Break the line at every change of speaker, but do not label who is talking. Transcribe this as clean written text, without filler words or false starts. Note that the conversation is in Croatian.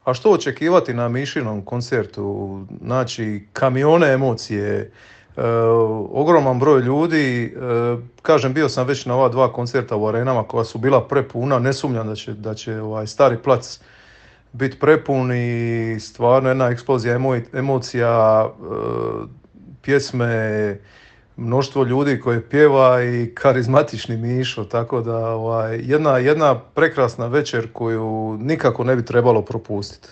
A što očekivati na Mišinom koncertu? Znači, kamione emocije, ogroman broj ljudi. Kažem, bio sam već na ova dva koncerta u arenama koja su bila prepuna. Ne sumnjam da će Stari plac biti prepun i stvarno jedna eksplozija emocija, pjesme, mnoštvo ljudi koje pjeva i karizmatični Mišo, tako da jedna prekrasna večer koju nikako ne bi trebalo propustiti.